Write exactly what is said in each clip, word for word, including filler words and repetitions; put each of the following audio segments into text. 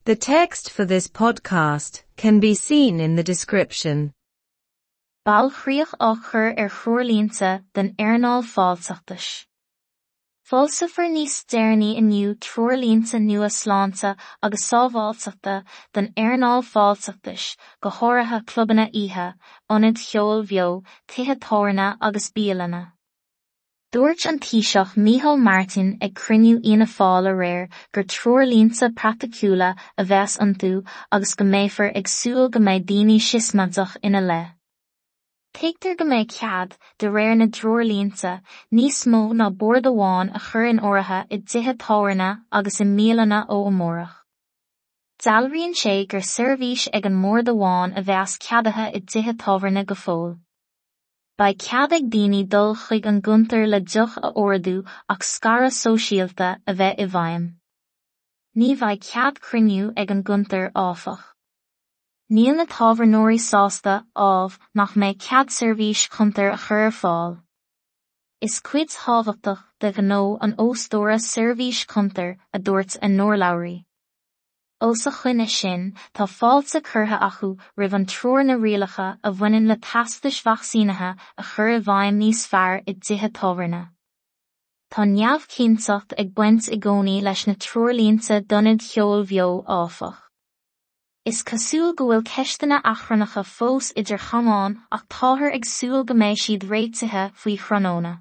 The text for this podcast can be seen in the description. Bailchríoch á chur ar threoirlínte don earnáil fáilteachais. Foilseofar níos deireanaí inniu treoirlínte nua sláinte agus sábháilteachta don earnáil fáilteachais, go háirithe clubanna oíche, ionaid cheoil bheo, tithe tábhairne agus bialanna. Dúirt an Taoiseach Micheál Martin ag cruinniú Fhianna Fáil aréir gur treoirlínte praiticiúla a bheas iontu agus go mbeifear ag súil go mbeidh daoine siosmaideach ina leith. Tuigtear go mbeidh cead, de réir na dtreoirlínte, níos mó ná bord amháin a chur in áirithe i dtithe tábhairne agus i mbialanna ó amárach. Dealraíonn sé gur seirbhís ag an mbord amháin a bheas ceadaithe i dtithe tábhairne go fóill. Beidh cead ag daoine dul chuig an gcuntar le deoch a ordú ach scaradh sóisialta a bheith i bhfeidhm. Ní bheidh cead cruinniú ag an gcuntar áfach. Níl na tábhairneoirí sásta, ámh, nach mbeidh cead seirbhís chuntair a chur ar fáil. Is cuid thábhachtach de ghnó an óstóra seirbhís chuntair, a dúirt a n-urlabhraí. Os a choinne sin, tá fáilte curtha acu roimh an treoir na rialacha a bhaineann le teastais vacsaínithe a chur i bhfeidhm níos fearr i dtithe tábhairne. Tá neamhchinnteacht ag baint i gcónaí leis na treoirlínte d'ionaid cheoil bheo áfach. Is cosúil go bhfuil ceisteanna achrannacha fós idir chamáin ach táthar ag súil go mbeidh siad réitithe faoi thráthnóna.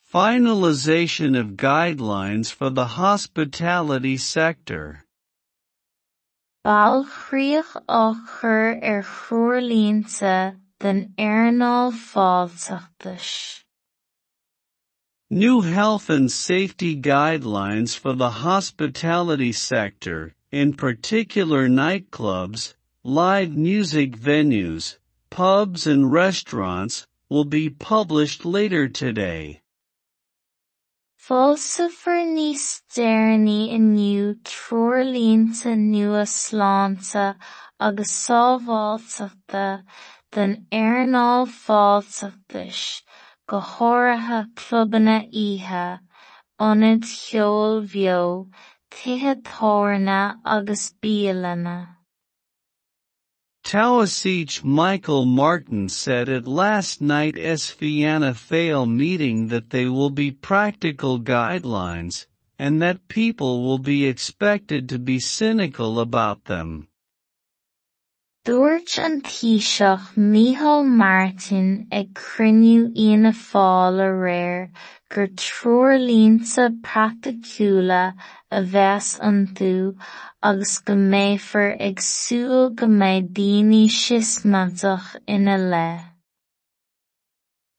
Finalization of guidelines for the hospitality sector. Bailchríoch á chur ar threoirlínte don earnáil fáilteachais. New health and safety guidelines for the hospitality sector, in particular nightclubs, live music venues, pubs and restaurants, will be published later today. Foilseofar níos deireanaí inniu treoirlínte nua sláinte agus sábháilteachta don earnáil fáilteachais, go háirithe clubanna oíche, ionaid cheoil bheo, tithe tábhairne agus bialanna. Taoiseach Michael Martin said at last night's Fianna Fáil meeting that they will be practical guidelines, and that people will be expected to be cynical about them. Dúirt an Taoiseach Micheál Martin ag cruinniú Fhianna Fáil aréir gur treoirlínte praiticiúla a bheas iontu agus go mbeifear ag súil go mbeidh daoine siosmaideach ina leith.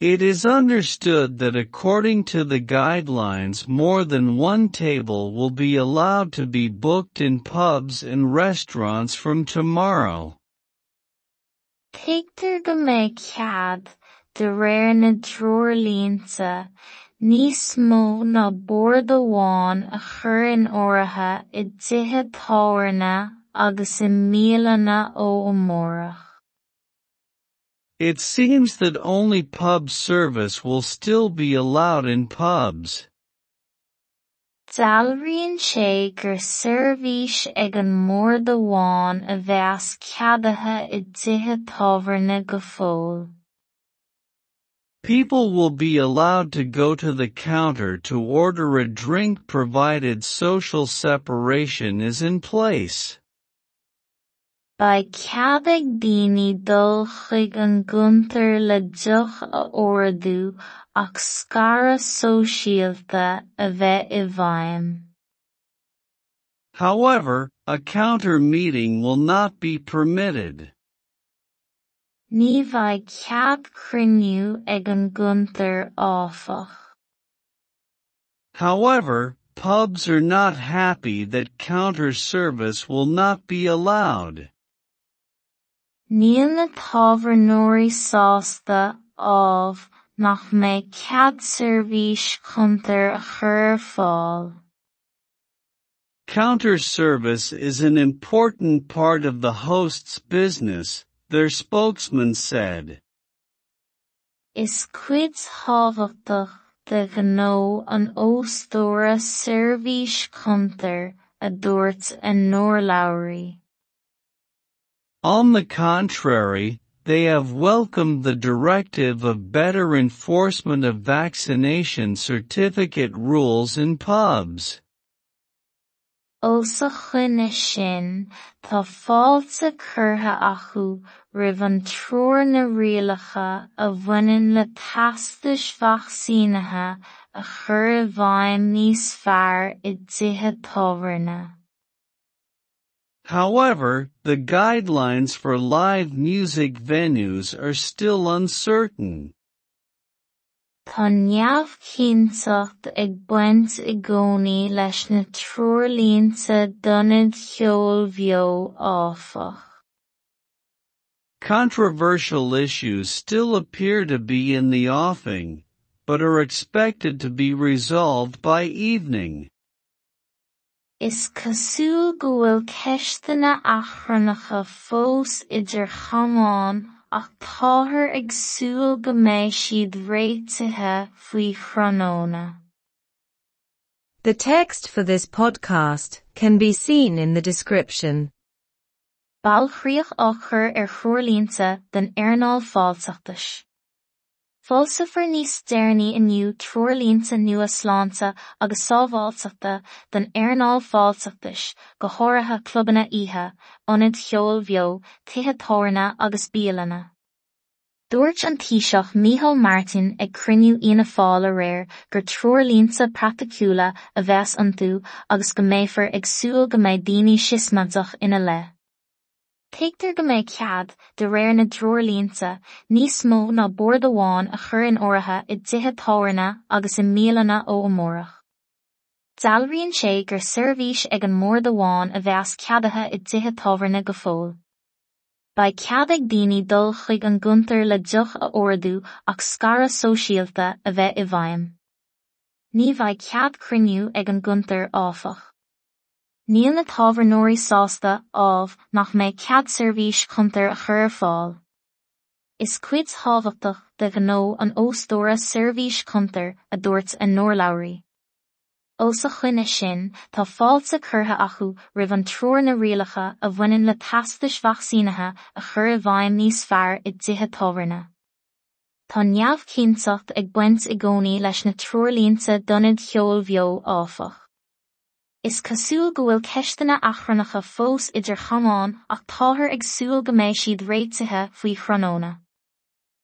It is understood that according to the guidelines more than one table will be allowed to be booked in pubs and restaurants from tomorrow. Tuigtear go mbeidh cead, de réir na dtreoirlínte, níos mó ná bord amháin a chur in áirithe i dtithe tábhairne agus i mbialanna ó amárach. It seems that only pub service will still be allowed in pubs. Dealraíonn sé gur seirbhís ag an mbord amháin a bheas ceadaithe i dtithe tábhairne go fóill. People will be allowed to go to the counter to order a drink provided social separation is in place. Beidh cead ag daoine dul chuig an gcuntar le deoch a ordú ach scaradh sóisialta a bheith i bhfeidhm. However, a counter meeting will not be permitted. Ní bheidh cead cruinniú ag an gcuntar áfach. However, pubs are not happy that counter service will not be allowed. Níl na tábhairneoirí sásta, ámh, nach mbeidh cead seirbhís chuntair a chur ar fáil. Counter service is an important part of the host's business, their spokesman said. Is cuid thábhachtach de ghnó an óstóra seirbhís chuntair, a dúirt a n-urlabhraí. On the contrary, they have welcomed the directive of better enforcement of vaccination certificate rules in pubs. Os a choinne sin, tá fáilte curtha acu roimh an treoir na rialacha a bhaineann le teastais vacsaínithe a chur i bhfeidhm níos fearr i dtithe tábhairne. However, the guidelines for live music venues are still uncertain. Tá neamhchinnteacht ag baint i gcónaí leis na treoirlínte d'ionaid cheoil bheo, áfach. Controversial issues still appear to be in the offing, but are expected to be resolved by evening. Is cosúil go bhfuil ceisteanna achrannacha fós idir chamáin ach táthar ag súil go mbeidh siad réitithe faoi thráthnóna. The text for this podcast can be seen in the description. Bailchríoch á chur ar threoirlínte den earnáil fáilteachais. Foilseofar níos deireanaí inniu treoirlínte nua sláinte agus sábháilteachta don earnáil fáilteachais, go háirithe clubanna oíche, ionaid cheoil bheo, tithe tábhairne agus bialanna. Dúirt an Taoiseach Micheál Martin ag cruinniú Fhianna Fáil aréir gur treoirlínte praiticiúla a bheas iontu agus go mbeifear ag súil go mbeidh daoine siosmaideach ina leith. Tuigtear go mbeidh cead, de réir na dtreoirlínte, níos mó ná bord amháin a chur in áirithe i dtithe tábhairne agus i mbialanna ó amárach. Dealraíonn sé gur seirbhís ag an mbord amháin a bheas ceadaithe i dtithe tábhairne go fóill. Beidh cead ag daoine dul chuig an gcuntar le deoch a ordú ach scaradh sóisialta a bheith i bhfeidhm. Ní bheidh cead cruinniú ag an gcuntar, áfach. Níl na tábhairneoirí sásta, ámh, nach mbeidh cead seirbhís chuntair a chur ar fáil. Is cuid thábhachtach de ghnó an óstóra seirbhís chuntair, a dúirt a n-urlabhraí. Os a choinne sin, tá fáilte curtha acu roimh an treoir na rialacha a bhaineann le teastais vacsaínithe a chur i bhfeidhm níos fearr i dtithe tábhairne. Tá neamhchinnteacht ag baint i gcónaí leis na treoirlínte d'ionaid cheoil bheo, áfach. Is cosúil go bhfuil ceisteanna achrannacha fós idir chamáin ach táthar ag súil go mbeidh siad réitithe faoi thráthnóna.